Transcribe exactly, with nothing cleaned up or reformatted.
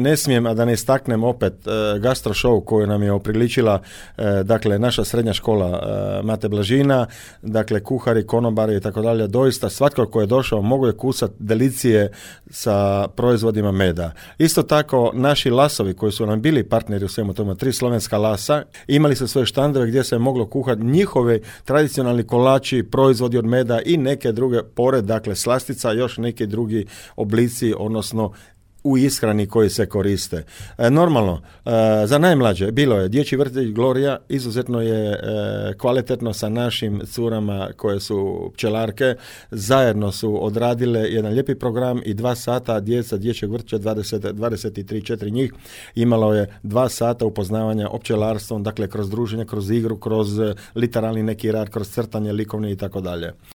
Ne smijem, a da ne istaknem opet e, gastro show koju nam je opriličila e, dakle naša srednja škola e, Mate Blažina, dakle kuhari, konobari i tako dalje. Doista svatko ko je došao mogao je kusati delicije sa proizvodima meda. Isto tako naši lasovi koji su nam bili partneri u svemu tome, tri slovenska lasa, imali su svoje štandove gdje se je moglo kuhati njihove tradicionalni kolači, proizvodi od meda i neke druge, pored dakle slastica, još neki drugi oblici, odnosno u ishrani koji se koriste. E, normalno, e, za najmlađe bilo je dječji vrtić Gloria, izuzetno je e, kvalitetno sa našim curama koje su pčelarke, zajedno su odradile jedan lijepi program i dva sata djeca dječjeg vrtića, dvadeset, dvadeset tri četiri njih, imalo je dva sata upoznavanja o pčelarstvom, dakle kroz druženje, kroz igru, kroz literalni neki rad, kroz crtanje, likovni i tako dalje.